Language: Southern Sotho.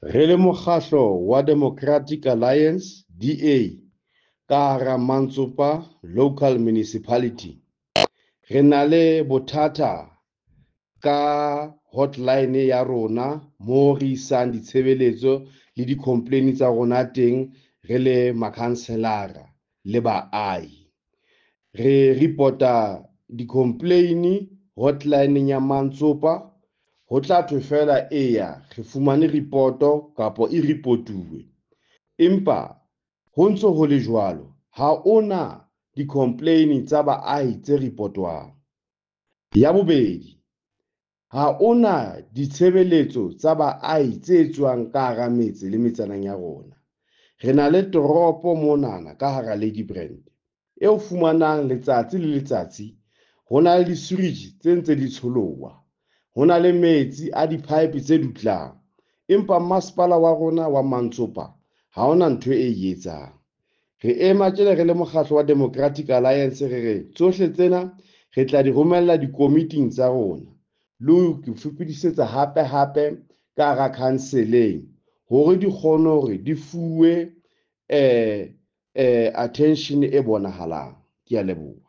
Re le mokgahlo wa Democratic Alliance, DA, ka hara Mantsopa Local Municipality, re na le bothata ka hotline ya rona moo re isang ditshebeletso le di-complain tsa rona teng re le makhanselara le baahi. Re report-a di-complain hotline ya Mantsopa, ho tla thwe feela eya re fumane report-o kapa e report-uwe. Empa ho ntso ho le jwalo, ha ona di-complain tsa baahi tse report-wang. Ya bobedi, ha ona ditshebeletso tsa baahi tse etswang ka hara metse le metsaneng ya rona. Re na le toropo monana ka hara Ladybrand e o fumanang letsatsi le letsatsi ho na le di-sewage tse ntse di tsholoha, ho na le metsi a di-pipe tse dutlang, empa masepala wa rona wa Mantsopa ha hona ntho e etsang. Re ema tjena re le mokgatlo wa Democratic Alliance, re re tsohle tsena re tla di romella dikomiting tsa rona le ho fetisetsa hape hape ka hara council-eng hore di kgone hore di fuwe attention e bonahalang. Ke a leboha.